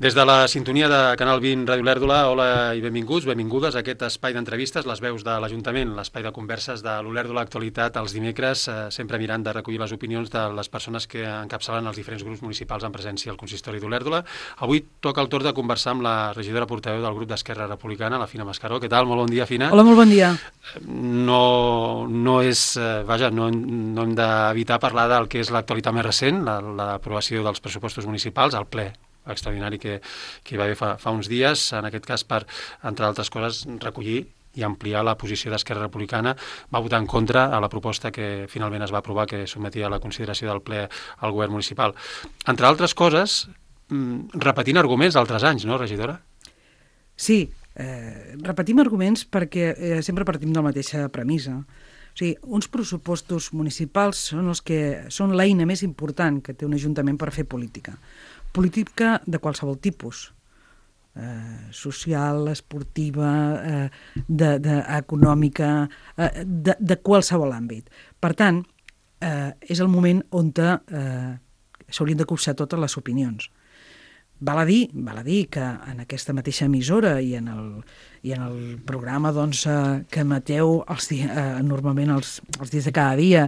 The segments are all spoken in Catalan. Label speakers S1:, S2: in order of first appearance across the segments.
S1: Des de la sintonia de Canal 20 Ràdio Olèrdola, hola i benvinguts, benvingudes a aquest espai d'entrevistes, les veus de l'Ajuntament, l'espai de converses de l'Olèrdola Actualitat els dimecres, sempre mirant de recollir les opinions de les persones que encapçalen els diferents grups municipals en presència al consistori d'Olèrdola. Avui toca el torn de conversar amb la regidora portaveu del grup d'Esquerra Republicana, la Fina Mascaró. Què tal? Molt bon dia, Fina.
S2: Hola, molt bon dia.
S1: No hem d'evitar parlar del que és l'actualitat més recent, l'aprovació dels pressupostos municipals, al ple extraordinari que hi va haver fa uns dies, en aquest cas per, entre altres coses, recollir i ampliar la posició d'Esquerra Republicana. Va votar en contra a la proposta que finalment es va aprovar, que sotmetia a la consideració del ple al govern municipal. Entre altres coses, repetint arguments d'altres anys, no, regidora?
S2: Sí, repetim arguments perquè sempre partim de la mateixa premissa. O sigui, uns pressupostos municipals són l'eina més important que té un ajuntament per fer política. Política de qualsevol tipus, social, esportiva, econòmica, de qualsevol àmbit. Per tant, és el moment on s'haurien de copsar totes les opinions. Val a dir que en aquesta mateixa emissora i en el programa que emeteu normalment els dies de cada dia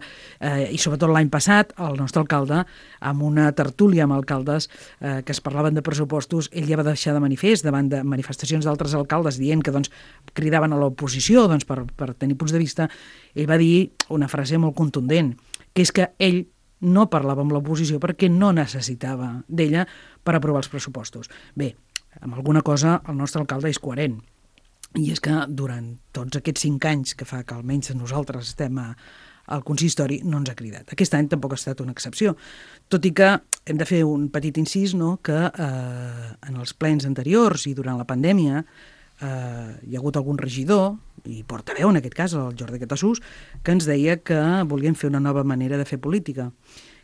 S2: i sobretot l'any passat, el nostre alcalde, amb una tertúlia amb alcaldes que es parlaven de pressupostos, ell ja va deixar de manifest davant de manifestacions d'altres alcaldes dient que cridaven a l'oposició per tenir punts de vista. Ell va dir una frase molt contundent, que és que ell no parlava amb l'oposició perquè no necessitava d'ella per aprovar els pressupostos. Bé, amb alguna cosa el nostre alcalde és coherent, i és que durant tots aquests 5 anys que fa que almenys nosaltres estem al consistori no ens ha cridat. Aquest any tampoc ha estat una excepció, tot i que hem de fer un petit incís, no?, que en els plens anteriors i durant la pandèmia hi ha hagut algun regidor, i portaveu en aquest cas, el Jordi Catassús, que ens deia que volien fer una nova manera de fer política,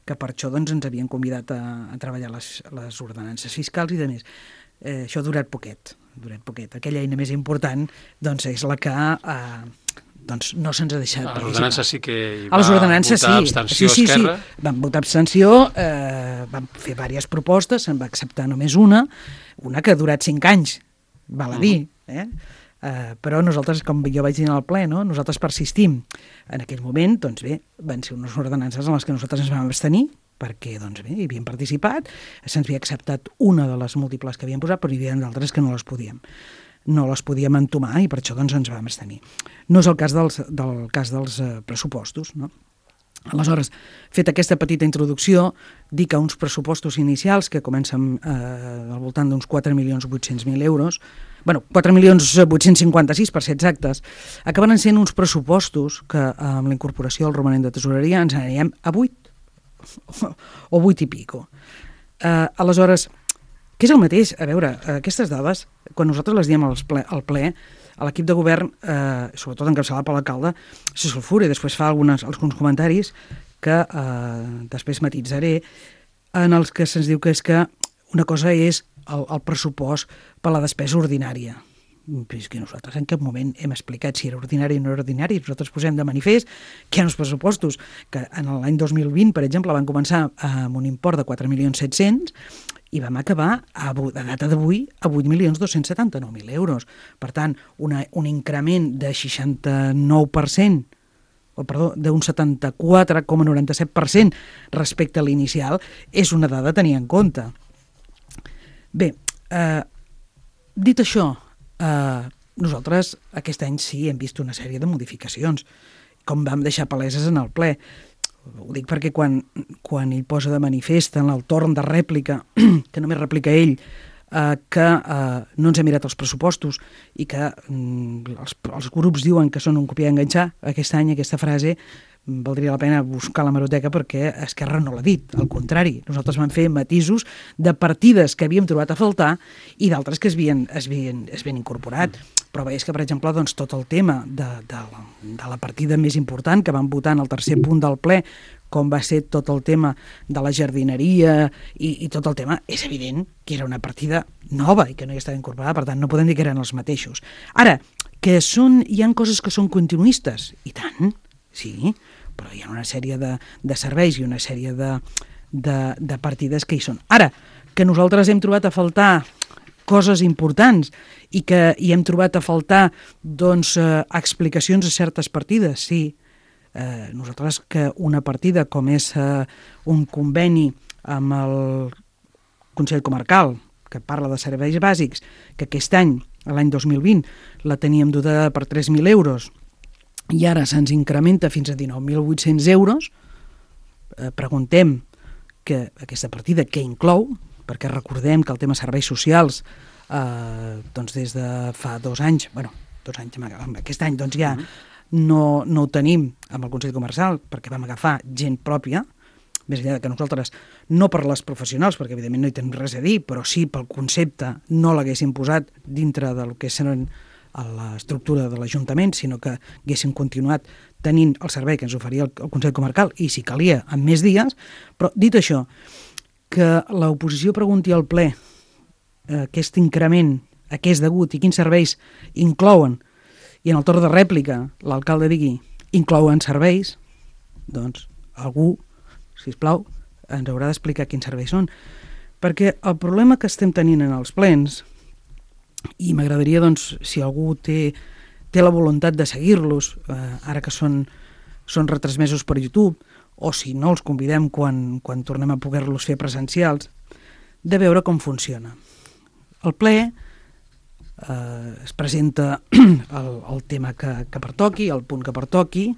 S2: que per això ens havien convidat a treballar les ordenances fiscals i de més. Això ha durat poquet. Aquella eina més important és la que no se'ns ha deixat.
S1: A les ordenances sí que hi
S2: va votar
S1: abstenció Esquerra.
S2: Sí, van votar abstenció, van fer diverses propostes, se'n va acceptar només una que ha durat 5 anys, val a dir, però nosaltres, com jo vaig dir al ple, nosaltres persistim. En aquell moment, van ser unes ordenances en les que nosaltres ens vam abstenir, perquè hi havíem participat, se'ns havia acceptat una de les múltiples que havíem posat, però hi havia d'altres que no les podíem entomar i per això ens vam abstenir. No és el cas dels pressupostos, no? Aleshores, feta aquesta petita introducció, dir que uns pressupostos inicials que comencen al voltant d'uns 4.800.000 euros, 4.856.000 per ser exactes, acabaran sent uns pressupostos que amb la incorporació del romanent de tesoreria ens anirem a 8 o 8 i pico. Aleshores, què és el mateix? A veure, aquestes dades, quan nosaltres les diem al ple, a l'equip de govern, sobretot encapçalat per l'alcalde, se sulfura i després fa alguns comentaris que després matitzaré, en els que se'ns diu que és que una cosa és el pressupost per la despesa ordinària. Però és que nosaltres en cap moment hem explicat si era ordinari o no era ordinari. Nosaltres posem de manifest que hi ha uns pressupostos que en l'any 2020, per exemple, van començar amb un import de 4.700.000 i vam acabar, a data d'avui, a 8.279.000 euros. Per tant, un increment de 69%, d'un 74,97% respecte a l'inicial, és una dada a tenir en compte. Bé, dit això, nosaltres aquest any sí hem vist una sèrie de modificacions, com vam deixar paleses en el ple. Ho dic perquè quan ell posa de manifest en el torn de rèplica, que només replica ell, que no ens ha mirat els pressupostos i que els grups diuen que són un copiar i enganxar, aquest any aquesta frase valdria la pena buscar la hemeroteca perquè Esquerra no l'ha dit, al contrari. Nosaltres vam fer matisos de partides que havíem trobat a faltar i d'altres que es havien incorporat. Però veies que, per exemple, tot el tema de la partida més important que vam votar en el tercer punt del ple, com va ser tot el tema de la jardineria i tot el tema, és evident que era una partida nova i que no hi estava incorporada, per tant no podem dir que eren els mateixos. Ara, que hi ha coses que són continuistes, i tant, sí, però hi ha una sèrie de serveis i una sèrie de partides que hi són. Ara, que nosaltres hem trobat a faltar coses importants i que hi hem trobat a faltar doncs, explicacions a certes partides, sí. Nosaltres que una partida com és un conveni amb el Consell Comarcal, que parla de serveis bàsics, que aquest any, l'any 2020, la teníem dotada per 3.000 euros i ara se'ns incrementa fins a 19.800 euros, preguntem que aquesta partida què inclou, perquè recordem que el tema serveis socials doncs des de fa 2 anys, aquest any doncs ja no ho tenim amb el Consell Comarcal perquè vam agafar gent pròpia, més enllà que nosaltres, no per les professionals, perquè evidentment no hi tenim res a dir, però sí pel concepte no l'haguéssim posat dintre del que seran a l'estructura de l'Ajuntament, sinó que haguéssim continuat tenint el servei que ens oferia el Consell Comarcal i, si calia, amb més dies. Però, dit això, que l'oposició pregunti al ple aquest increment, a què és degut i quins serveis inclouen, i en el torn de rèplica l'alcalde digui inclouen serveis, doncs algú, sisplau, ens haurà d'explicar quins serveis són. Perquè el problema que estem tenint en els plens, i m'agradaria, doncs, si algú té la voluntat de seguir-los, ara que són retransmesos per YouTube, o si no, els convidem quan tornem a poder-los fer presencials, de veure com funciona. El ple es presenta el tema que pertoqui, el punt que pertoqui,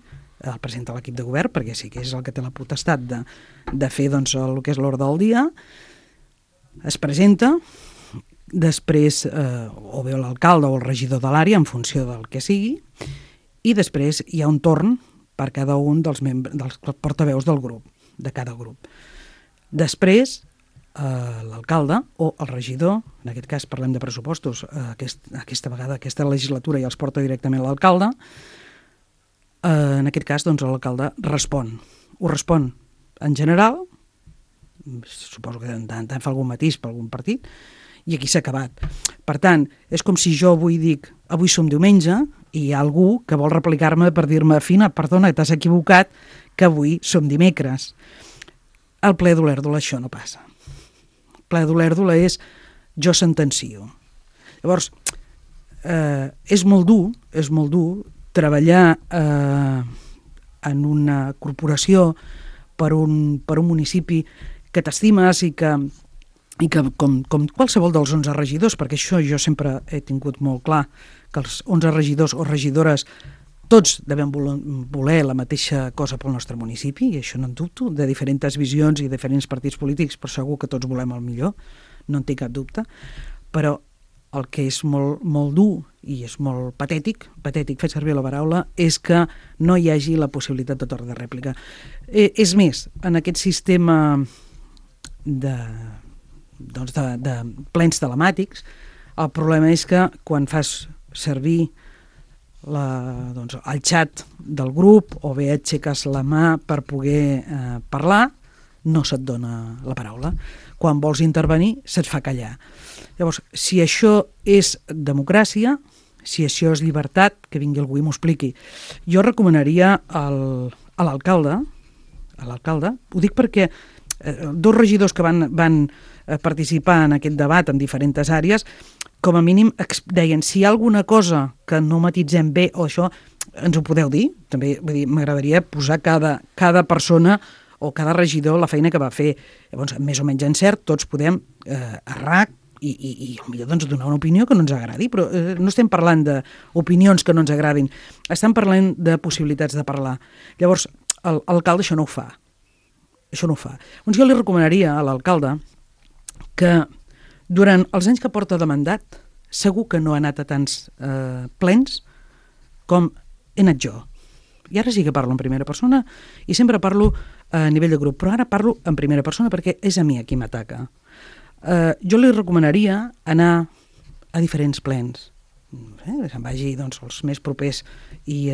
S2: el presenta l'equip de govern, perquè sí que és el que té la potestat de fer doncs, el que és l'ordre del dia, es presenta, després o bé l'alcalde o el regidor de l'àrea, en funció del que sigui, i després hi ha un torn per cada un dels portaveus del grup, de cada grup. Després, l'alcalde o el regidor, en aquest cas parlem de pressupostos, aquesta vegada, aquesta legislatura ja els porta directament l'alcalde, en aquest cas doncs, l'alcalde respon. Ho respon en general, suposo que en tant fa algun matís per algun partit, i aquí s'ha acabat. Per tant, és com si jo avui dic, avui som diumenge, i hi ha algú que vol replicar-me per dir-me, Fina, perdona, t'has equivocat, que avui som dimecres. Al ple d'Olèrdola això no passa. El ple d'Olèrdola és jo sentencio. Llavors, és molt dur treballar en una corporació per un municipi que t'estimes i que com qualsevol dels 11 regidors, perquè això jo sempre he tingut molt clar, que els 11 regidors o regidores tots devem voler la mateixa cosa pel nostre municipi, i això no en dubto, de diferents visions i diferents partits polítics, però segur que tots volem el millor, no en tinc cap dubte, però el que és molt, molt dur i és molt patètic, fet servir la paraula, és que no hi hagi la possibilitat de torn de rèplica. És més, en aquest sistema de plens telemàtics, el problema és que quan fas servir el xat del grup o bé aixeques la mà per poder parlar, no se't dona la paraula. Quan vols intervenir, se't fa callar. Llavors, si això és democràcia, si això és llibertat, que vingui algú i m'ho expliqui. Jo recomanaria a l'alcalde, ho dic perquè dos regidors que van participar en aquest debat en diferents àrees, com a mínim deien, si hi ha alguna cosa que no matitzem bé o això, ens ho podeu dir. També m'agradaria posar cada persona o cada regidor la feina que va fer. Llavors, més o menys encert, tots podem errar i potser doncs, donar una opinió que no ens agradi, però no estem parlant d'opinions que no ens agradin, estem parlant de possibilitats de parlar. Llavors, l'alcalde això no ho fa. Doncs jo li recomanaria a l'alcalde que durant els anys que porta de mandat segur que no ha anat a tants plens com he anat jo. I ara sí que parlo en primera persona i sempre parlo a nivell de grup, però ara parlo en primera persona perquè és a mi a qui m'ataca. Jo li recomanaria anar a diferents plens, que se'n vagi els més propers i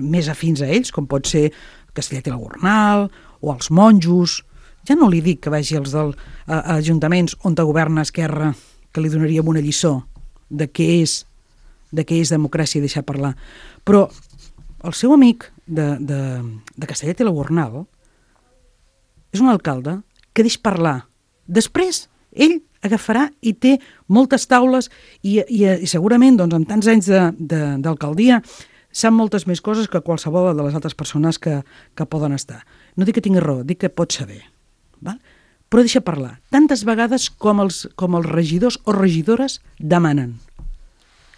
S2: més afins a ells, com pot ser Castellet i la Gornal o els monjos. Ja no li dic que vagi als ajuntaments on governa Esquerra, que li donaríem una lliçó de què és democràcia i deixar parlar. Però el seu amic de Castellet i la Gornal és un alcalde que deix parlar. Després, ell agafarà i té moltes taules i segurament doncs, amb tants anys d'alcaldia sap moltes més coses que qualsevol de les altres persones que poden estar. No dic que tingui raó, dic que pot saber. Val? Però deixa parlar. Tantes vegades com els regidors o regidores demanen.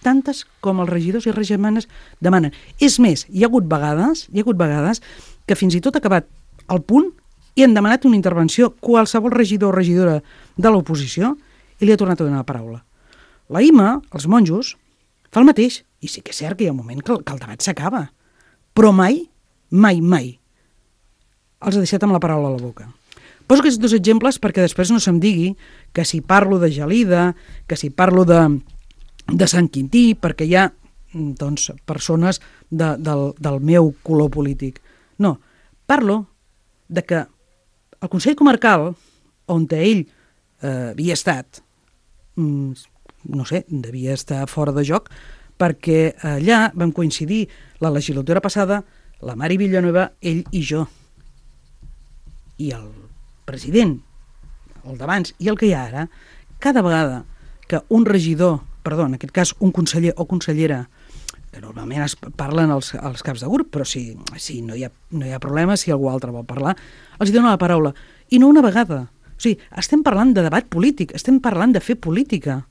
S2: Tantes com els regidors i regidores demanen. És més, hi ha hagut vegades que fins i tot ha acabat el punt i han demanat una intervenció qualsevol regidor o regidora de l'oposició i li ha tornat a donar la paraula. La IMA, els monjos, fa el mateix. I sí que és cert que hi ha un moment que el debat s'acaba. Però mai els ha deixat amb la paraula a la boca. Poso aquests dos exemples perquè després no se'm digui que si parlo de Gelida, que si parlo de Sant Quintí, perquè hi ha doncs, persones del meu color polític. No, parlo de que el Consell Comarcal, on ell havia estat, no sé, devia estar fora de joc, perquè allà vam coincidir la legislatura passada, la Mari Villanueva, ell i jo. I el president, el d'abans i el que hi ha ara, cada vegada que un regidor, en aquest cas un conseller o consellera, que normalment es parlen als caps de grup, però si no hi ha problema, si algú altre vol parlar, els dona la paraula. I no una vegada. O sigui, estem parlant de debat polític, estem parlant de fer política.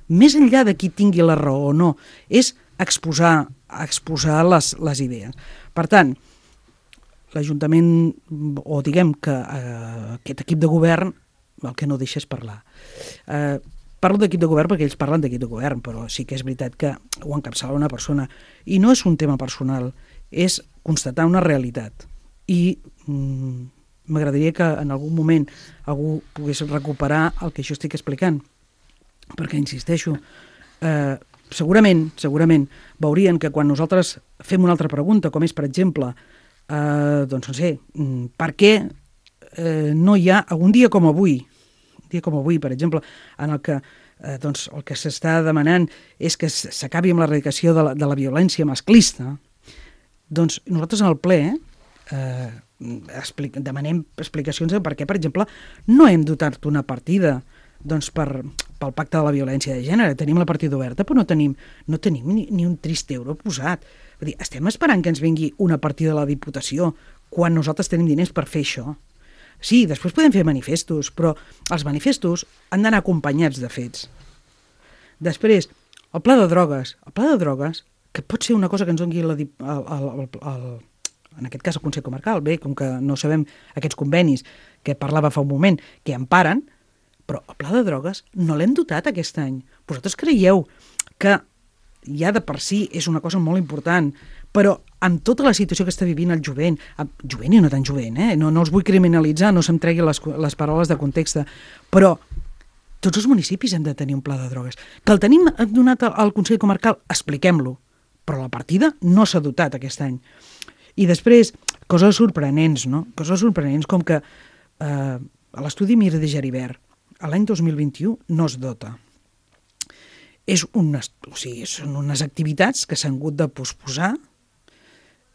S2: Més enllà de qui tingui la raó o no, és exposar les idees. Per tant, l'Ajuntament, o diguem que aquest equip de govern, el que no deixa és parlar. Parlo d'equip de govern perquè ells parlen d'equip de govern, però sí que és veritat que ho encapçala una persona. I no és un tema personal, és constatar una realitat. I m'agradaria que en algun moment algú pogués recuperar el que jo estic explicant. Perquè, insisteixo, segurament veurien que quan nosaltres fem una altra pregunta, com és, per exemple, doncs no sé, per què no hi ha un dia com avui, per exemple, en el que doncs, el que s'està demanant és que s'acabi amb l'erradicació de la violència masclista, doncs nosaltres en el ple demanem explicacions de per què, per exemple, no hem dotat una partida doncs pel pacte de la violència de gènere. Tenim la partida oberta, però no tenim ni un trist euro posat. Vull dir, estem esperant que ens vingui una partida de la Diputació quan nosaltres tenim diners per fer això. Sí, després podem fer manifestos, però els manifestos han d'anar acompanyats de fets. Després, el pla de drogues, que pot ser una cosa que ens doni en aquest cas el Consell Comarcal, bé, com que no sabem aquests convenis que parlava fa un moment, que emparen, però el pla de drogues no l'hem dotat aquest any. Vosaltres creieu que ja de per si és una cosa molt important, però amb tota la situació que està vivint el jovent i no tan jovent, no els vull criminalitzar, no se'm tregui les paraules de context, però tots els municipis hem de tenir un pla de drogues. Que el tenim donat al Consell Comarcal, expliquem-lo, però la partida no s'ha dotat aquest any. I després, coses sorprenents, no? Coses sorprenents com que l'estudi Mir de Geribert l'any 2021 no es dota. Són unes activitats que s'han hagut de posposar.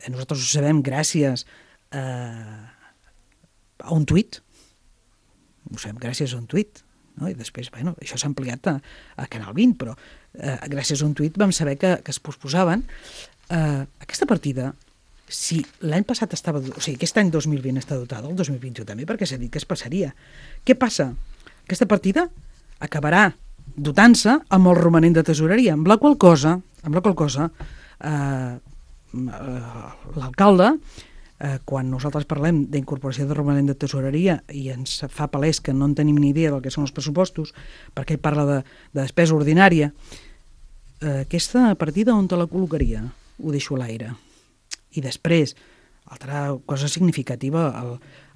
S2: Nosaltres ho sabem gràcies a un tuit. Ho sabem gràcies a un tuit. No? I després, això s'ha ampliat a Canal 20, però gràcies a un tuit vam saber que es posposaven. Aquesta partida, si l'any passat aquest any 2020 està dotada, el 2021 també, perquè s'ha dit que es passaria. Què passa? Aquesta partida acabarà dotant-se amb el romanent de tesoreria, amb la qual cosa l'alcalde, quan nosaltres parlem d'incorporació de romanent de tesoreria i ens fa palès que no en tenim ni idea del que són els pressupostos, perquè ell parla de despesa ordinària, aquesta partida on te la col·locaria? Ho deixo a l'aire. I després, altra cosa significativa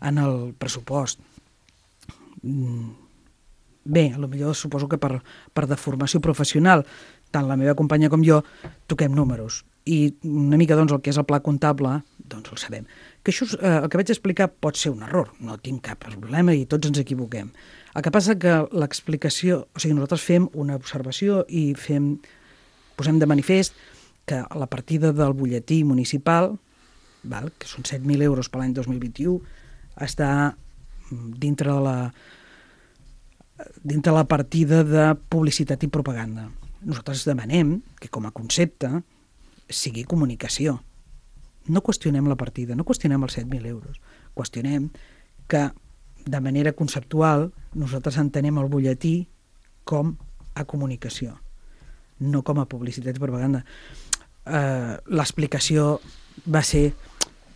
S2: en el pressupost. Bé, potser suposo que per deformació professional, tant la meva companya com jo toquem números. I una mica el que és el pla comptable, doncs el sabem. Que això, el que vaig explicar pot ser un error, no tinc cap problema i tots ens equivoquem. El que passa que l'explicació, nosaltres fem una observació i posem de manifest que la partida del butlletí municipal, que són 7.000 euros per l'any 2021, està dintre de dintre la partida de publicitat i propaganda. Nosaltres demanem que com a concepte sigui comunicació. No qüestionem la partida, no qüestionem els 7.000 euros. Qüestionem que de manera conceptual nosaltres entenem el butlletí com a comunicació, no com a publicitat i propaganda. L'explicació va ser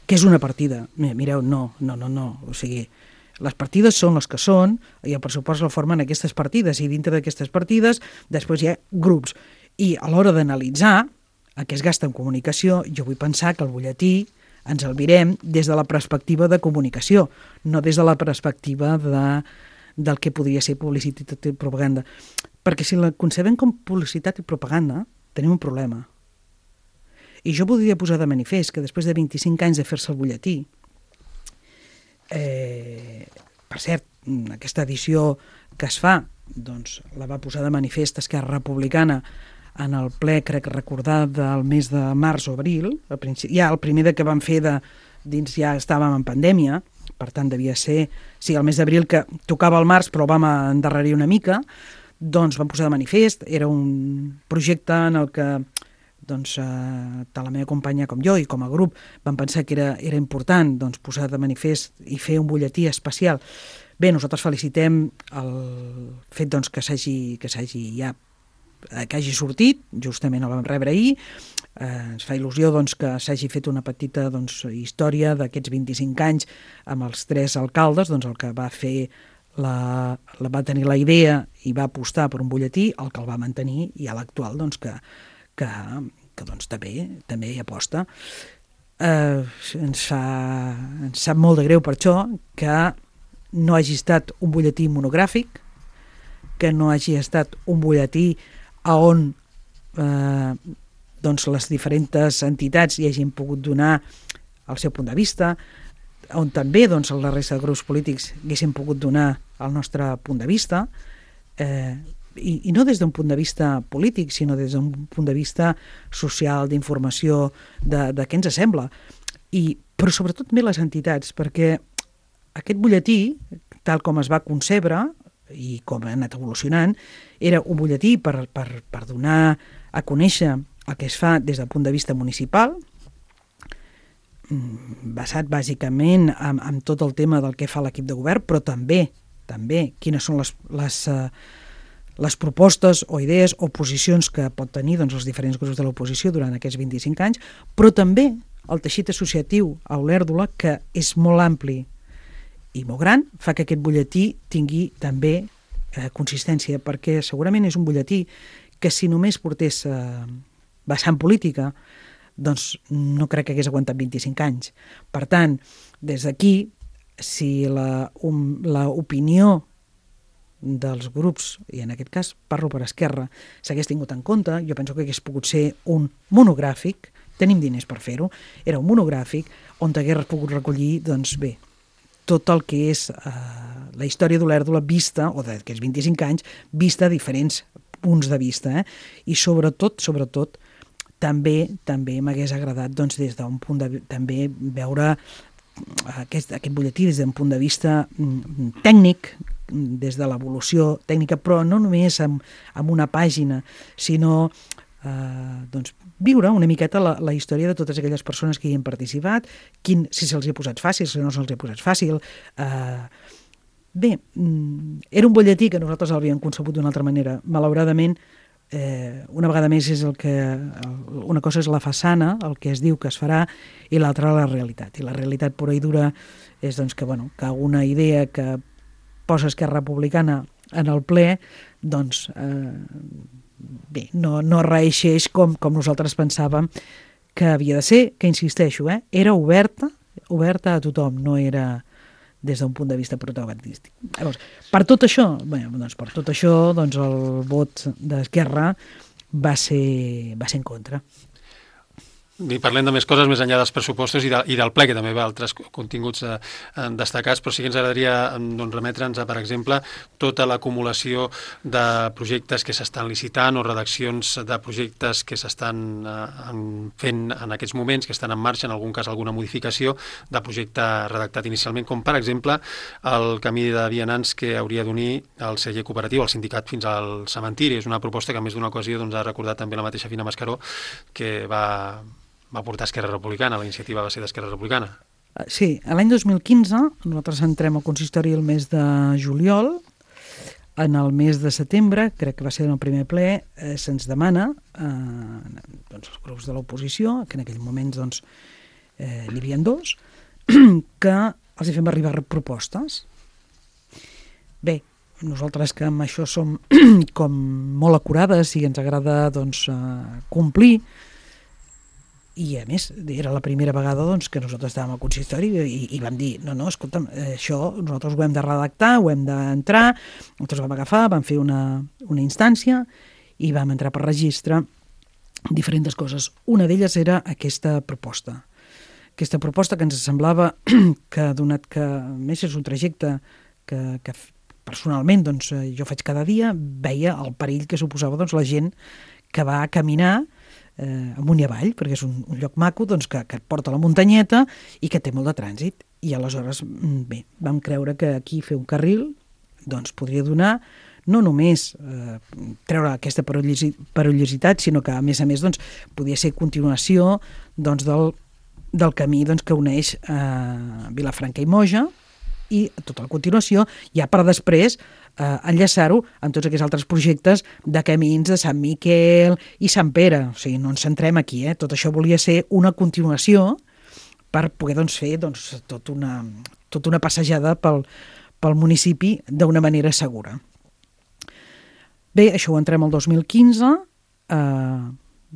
S2: que és una partida. Mireu, no. O sigui, les partides són les que són i el pressupost el formen aquestes partides i dintre d'aquestes partides després hi ha grups. I a l'hora d'analitzar el que es gasta en comunicació, jo vull pensar que el butlletí ens el mirem des de la perspectiva de comunicació, no des de la perspectiva del que podria ser publicitat i propaganda. Perquè si la concebem com publicitat i propaganda, tenim un problema. I jo voldria posar de manifest que després de 25 anys de fer-se el butlletí, per cert, aquesta edició que es fa, doncs la va posar de manifest Esquerra Republicana en el ple, crec recordar, del mes de març o abril, ja el primer que vam fer dins ja estàvem en pandèmia, per tant devia ser, sí, el mes d'abril que tocava el març però vam endarrerir una mica, doncs vam posar de manifest, era un projecte en el que doncs, tant la meva companya com jo i com a grup vam pensar que era important doncs, posar de manifest i fer un butlletí especial. Bé, nosaltres felicitem el fet doncs, que hagi sortit, justament el vam rebre ahir, ens fa il·lusió doncs, que s'hagi fet una petita doncs, història d'aquests 25 anys amb els 3 alcaldes, doncs, el que va fer va tenir la idea i va apostar per un butlletí, el que el va mantenir, i a l'actual doncs, que doncs, també hi aposta. Ens sap molt de greu per això que no hagi estat un butlletí monogràfic, que no hagi estat un butlletí on doncs les diferents entitats hi hagin pogut donar el seu punt de vista, on també doncs, la resta de grups polítics haguessin pogut donar el nostre punt de vista, i no des d'un punt de vista polític, sinó des d'un punt de vista social, d'informació, de què ens sembla. Però sobretot també les entitats, perquè aquest butlletí, tal com es va concebre i com ha anat evolucionant, era un butlletí per donar a conèixer el que es fa des del punt de vista municipal, basat bàsicament en tot el tema del que fa l'equip de govern, però també quines són les propostes o idees o posicions que pot tenir doncs, els diferents grups de l'oposició durant aquests 25 anys, però també el teixit associatiu a Olèrdola, que és molt ampli i molt gran, fa que aquest butlletí tingui també consistència, perquè segurament és un butlletí que si només portés vessant política, doncs no crec que hagués aguantat 25 anys. Per tant, des d'aquí, si l'opinió dels grups, i en aquest cas parlo per Esquerra, s'hagués tingut en compte, jo penso que hagués pogut ser un monogràfic, tenim diners per fer-ho, era un monogràfic on hagués pogut recollir, doncs bé, tot el que és la història d'Olèrdola vista, o d'aquests 25 anys, vista a diferents punts de vista, i sobretot, també m'hagués agradat doncs, des d'un punt de també veure aquest butlletí des d'un punt de vista tècnic, des de l'evolució tècnica, però no només amb una pàgina, sinó doncs, viure una miqueta la història de totes aquelles persones que hi han participat, si se'ls hi ha posat fàcil, si no se'ls hi ha posat fàcil. Bé, era un butlletí que nosaltres l'havíem concebut d'una altra manera. Malauradament, una vegada més una cosa és la façana, el que es diu que es farà, i l'altra la realitat. I la realitat pura i dura és doncs, que una idea que posa Esquerra Republicana en el ple, doncs bé, no reeixeix com nosaltres pensàvem que havia de ser, que insisteixo, era oberta a tothom, no era des d'un punt de vista protagonístic. Llavors, per tot això, el vot d'Esquerra va ser en contra.
S1: ni parlem de més coses més enllà dels pressupostos i del ple, que també va altres continguts destacats, però sí que ens agradaria remetre'ns a, per exemple, tota l'acumulació de projectes que s'estan licitant o redaccions de projectes que s'estan fent en aquests moments, que estan en marxa, en algun cas alguna modificació de projecte redactat inicialment, com per exemple el camí de vianants que hauria d'unir el celler cooperatiu, el sindicat fins al cementiri. És una proposta que en més d'una ocasió ha recordat també la mateixa Fina Mascaró, que va portar Esquerra Republicana, la iniciativa va ser d'Esquerra Republicana.
S2: Sí, l'any 2015 nosaltres entrem al consistori el mes de juliol. En el mes de setembre, crec que va ser en el primer ple, se'ns demana els grups de l'oposició, que en aquell moment n'hi havia dos, que els hi fem arribar propostes. Bé, nosaltres que amb això som com molt acurades i ens agrada complir, i a més era la primera vegada que nosaltres estàvem al consistori i vam dir, no, escolta'm, això nosaltres ho hem de redactar, ho hem d'entrar. Nosaltres vam agafar, vam fer una instància i vam entrar per registre diferents coses. Una d'elles era aquesta proposta que ens semblava que, donat que més és un trajecte que personalment jo faig cada dia, veia el perill que suposava la gent que va a caminar amunt i avall, perquè és un lloc maco que et porta a la muntanyeta i que té molt de trànsit. I aleshores, bé, vam creure que aquí fer un carril podria donar no només treure aquesta perillositat, sinó que a més podia ser continuació del camí que uneix Vilafranca i Moja, i tota la continuació, ja per després enllaçar-ho amb tots aquests altres projectes de camins de Sant Miquel i Sant Pere. O sigui, no ens centrem aquí, tot això volia ser una continuació per poder fer tota una passejada pel municipi d'una manera segura. Bé, això ho entrem el 2015,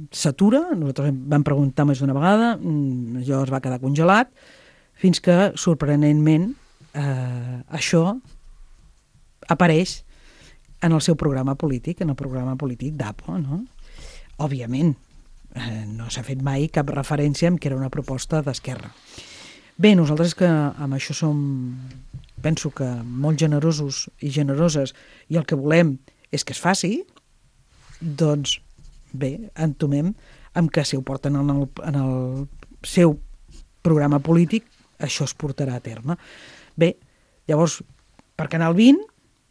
S2: s'atura, nosaltres vam preguntar més d'una vegada, allò es va quedar congelat, fins que, sorprenentment, això apareix en el seu programa polític, en el programa polític d'APO, no? Òbviament, no s'ha fet mai cap referència en que era una proposta d'Esquerra. Bé, nosaltres que amb això penso que molt generosos i generoses, i el que volem és que es faci, doncs bé, entomem amb que si ho porten en el seu programa polític, això es portarà a terme. Bé, llavors, per Canal 20,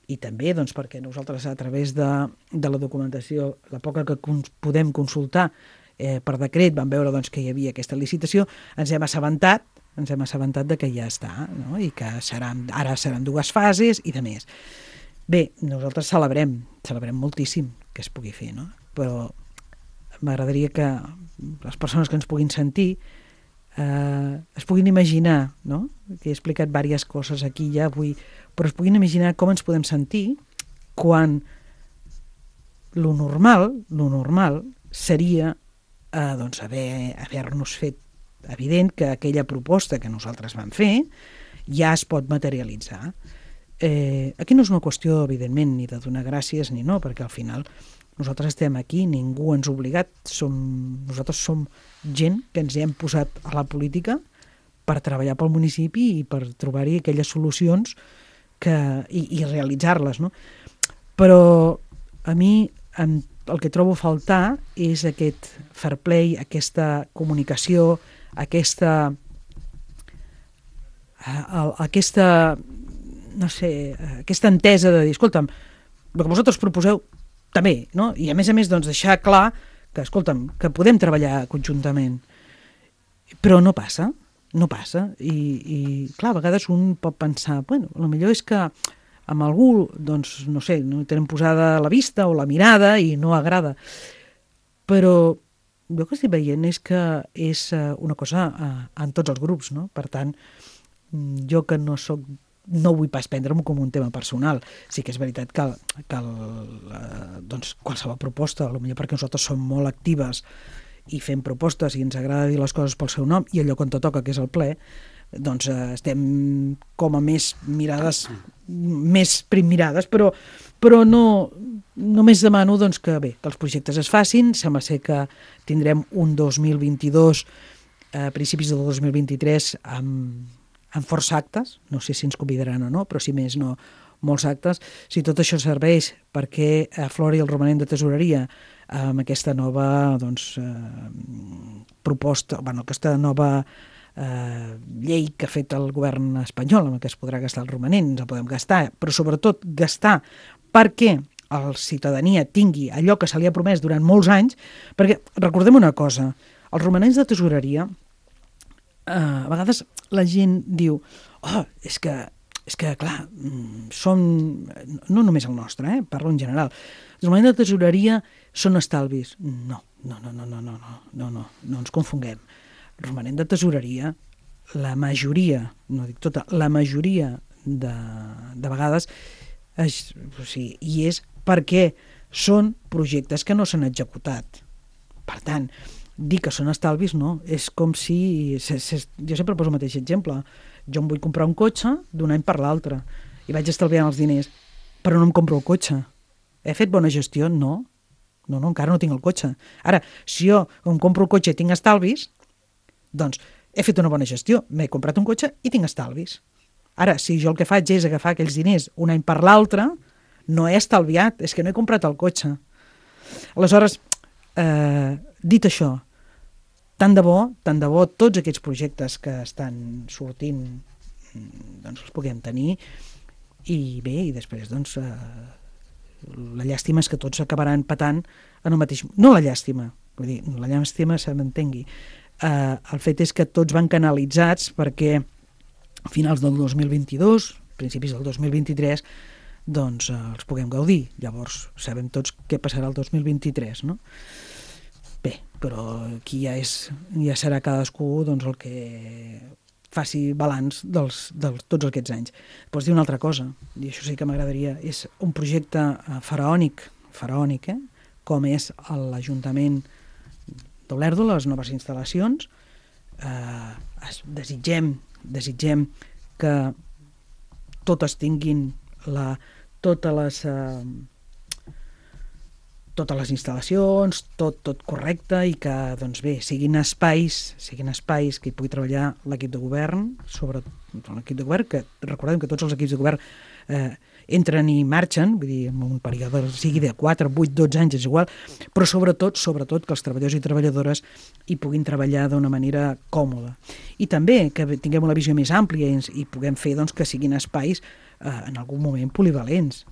S2: i també perquè nosaltres a través de la documentació, la poca que podem consultar per decret, vam veure que hi havia aquesta licitació, ens hem assabentat de que ja està, no? I que ara seran 2 fases i de més. Bé, nosaltres celebrem moltíssim que es pugui fer, no? Però m'agradaria que les persones que ens puguin sentir es puguin imaginar, no? Que he explicat diverses coses aquí ja avui, però es puguin imaginar com ens podem sentir quan lo normal seria haver-nos fet evident que aquella proposta que nosaltres vam fer ja es pot materialitzar. Aquí no és una qüestió, evidentment, ni de donar gràcies ni no, perquè al final nosaltres estem aquí, ningú ens ha obligat, nosaltres som gent que ens hem posat a la política per treballar pel municipi i per trobar-hi aquelles solucions i realitzar-les, no? Però a mi el que trobo a faltar és aquest fair play, aquesta comunicació, aquesta entesa de dir, escolta'm, el que vosaltres proposeu també, no? I a més deixar clar que, escolta'm, que podem treballar conjuntament. Però no passa. I clar, a vegades un pot pensar, bueno, el millor és que amb algú, no sé, no tenen posada la vista o la mirada i no agrada. Però jo que estic veient és que és una cosa en tots els grups, no? Per tant, jo que no vull pas prendre-m'ho com un tema personal. Sí que és veritat que qualsevol proposta, potser perquè nosaltres som molt actives i fem propostes i ens agrada dir les coses pel seu nom, i allò quan te toca, que és el ple, estem com a més mirades, més primmirades, però però només demano doncs, que els projectes es facin. Sembla ser que tindrem un 2022 a principis del 2023 amb força actes, no sé si ens convidaran o no, però si més no, molts actes. Si tot això serveix perquè aflori el romanent de tesoreria amb aquesta nova proposta, aquesta nova llei que ha fet el govern espanyol, amb què es podrà gastar el romanent, ens el podem gastar, però sobretot gastar perquè la ciutadania tingui allò que se li ha promès durant molts anys, perquè recordem una cosa, els romanents de tesoreria, a vegades la gent diu, és que clar, són, no només el nostre, parlo en general, els romanents de tesoreria són estalvis. No ens confonguem. El romanent de tesoreria, la majoria, no dic tota, la majoria de vegades és perquè són projectes que no s'han executat. Per tant, dir que són estalvis no, és com si... Jo sempre poso el mateix exemple. Jo em vull comprar un cotxe d'un any per l'altre i vaig estalviant els diners, però no em compro el cotxe. He fet bona gestió? No, encara no tinc el cotxe. Ara, si jo em compro el cotxe i tinc estalvis, doncs he fet una bona gestió, m'he comprat un cotxe i tinc estalvis. Ara, si jo el que faig és agafar aquells diners un any per l'altre, no he estalviat, és que no he comprat el cotxe. Aleshores, dit això, tant de bo tots aquests projectes que estan sortint doncs els puguem tenir i bé, i després doncs la llàstima és que tots acabaran patant en el mateix... No la llàstima, vull dir, la llàstima se m'entengui. El fet és que tots van canalitzats perquè a finals del 2022, principis del 2023, doncs els puguem gaudir. Llavors sabem tots què passarà el 2023, no? Bé, però aquí ja serà cadascú doncs, el que faci balanç de tots aquests anys. Pots dir una altra cosa, i això sí que m'agradaria, és un projecte faraònic, com és l'Ajuntament d'Olèrdola, les noves instal·lacions. Desitgem que totes tinguin totes les instal·lacions, tot correcte i que, doncs bé, siguin espais que hi pugui treballar l'equip de govern, sobretot l'equip de govern, que recordem que tots els equips de govern entren i marxen, vull dir, en un període sigui de 4, 8, 12 anys, és igual, però sobretot que els treballadors i treballadores hi puguin treballar d'una manera còmoda. I també que tinguem una visió més àmplia i puguem fer doncs, que siguin espais en algun moment polivalents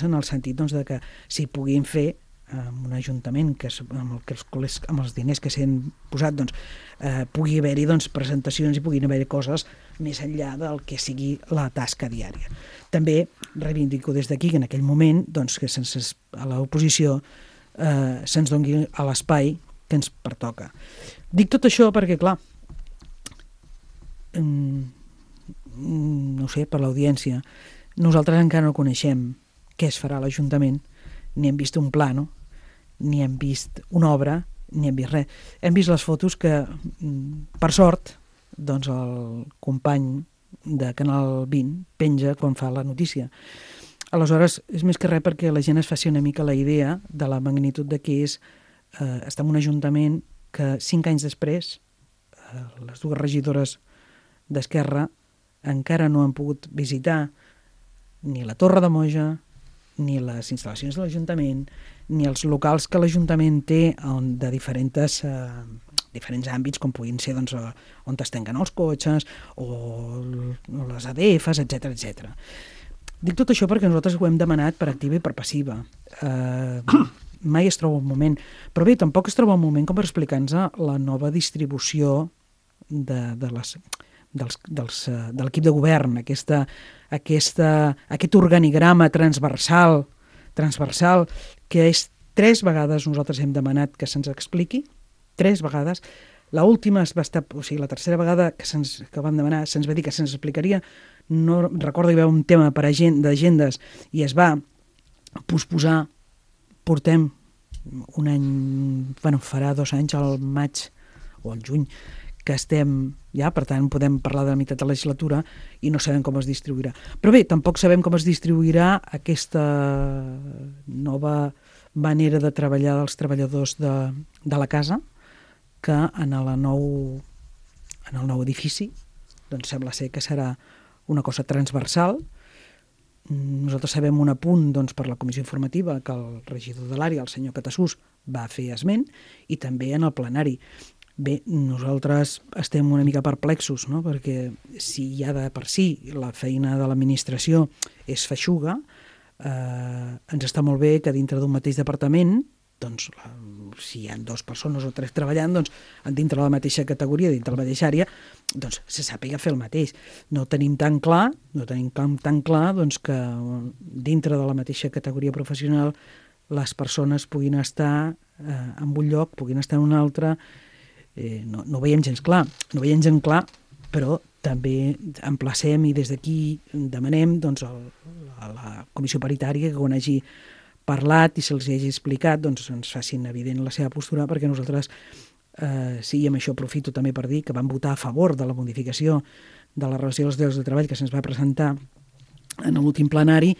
S2: en el sentit doncs, de que s'hi puguin fer amb un ajuntament amb els diners que s'han posat doncs, pugui haver-hi doncs, presentacions i puguin haver-hi coses més enllà del que sigui la tasca diària. També reivindico des d'aquí que en aquell moment doncs, que a l'oposició se'ns doni a l'espai que ens pertoca. Dic tot això perquè, clar, no sé, per l'audiència, nosaltres encara no coneixem què es farà a l'Ajuntament, ni hem vist un plano, ni hem vist una obra, ni hem vist res. Hem vist les fotos que, per sort, doncs el company de Canal 20 penja quan fa la notícia. Aleshores, és més que res perquè la gent es faci una mica la idea de la magnitud de què és estar en un ajuntament que 5 anys després les dues regidores d'Esquerra encara no han pogut visitar ni la Torre de Moja, ni les instal·lacions de l'Ajuntament, ni els locals que l'Ajuntament té de diferents àmbits, com puguin ser doncs, on es tanquen els cotxes o les ADFs, etc. Dic tot això perquè nosaltres ho hem demanat per activa i per passiva. Mai es troba un moment. Però bé, tampoc es troba un moment com per explicar-nos la nova distribució de l'equip de govern, aquest organigrama transversal que és 3 vegades nosaltres hem demanat que se'ns expliqui, 3 vegades. L'última va estar, o sigui, la tercera vegada que vam demanar se'ns va dir que se'ns explicaria. No recordo que hi va un tema d'agendes i es va posposar. Portem un any, farà 2 anys, al maig o al juny, que estem ja, per tant podem parlar de la meitat de la legislatura i no sabem com es distribuirà. Però bé, tampoc sabem com es distribuirà aquesta nova manera de treballar dels treballadors de la casa, que en el nou edifici doncs sembla ser que serà una cosa transversal. Nosaltres sabem un apunt doncs, per la comissió informativa que el regidor de l'àrea, el senyor Catassús, va fer esment, i també en el plenari. Bé, nosaltres estem una mica perplexos, no? Perquè si ja de per si la feina de l'administració és feixuga, ens està molt bé que dintre d'un mateix departament, doncs, si hi ha 2 persones o 3 treballant, doncs, dintre de la mateixa categoria, dintre de la mateixa àrea, doncs, se sàpiga fer el mateix. No tenim tan clar doncs, que dintre de la mateixa categoria professional les persones puguin estar en un lloc, puguin estar en un altre. No ho veiem gens clar. No ho veiem gens clar, però també emplacem i des d'aquí demanem doncs, a la comissió paritària que quan hagi parlat i se'ls hagi explicat, doncs ens facin evident la seva postura, perquè nosaltres, sí, i amb això aprofito també per dir que vam votar a favor de la modificació de la relació dels llocs de treball que se'ns va presentar en l'últim plenari,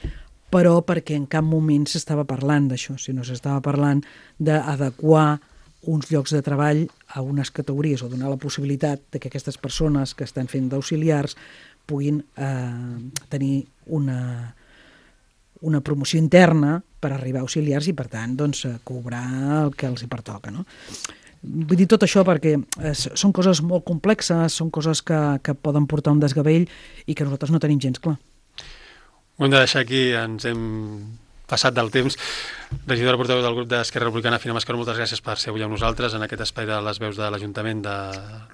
S2: però perquè en cap moment s'estava parlant d'això, sinó s'estava parlant d'adequar uns llocs de treball a unes categories o donar la possibilitat de que aquestes persones que estan fent d'auxiliars puguin tenir una promoció interna per arribar a auxiliars i, per tant, doncs, cobrar el que els hi pertoca, no? Vull dir tot això perquè són coses molt complexes, són coses que poden portar un desgavell i que nosaltres no tenim gens clar.
S1: Ho hem de deixar aquí, ens hem passat del temps. Regidora portaveu del grup d'Esquerra Republicana, Fina Mascaró, moltes gràcies per ser avui amb nosaltres en aquest espai de les veus de l'Ajuntament de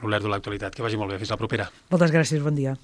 S1: l'Olèrdola, l'actualitat. Que vagi molt bé, fins la propera.
S2: Moltes gràcies, bon dia.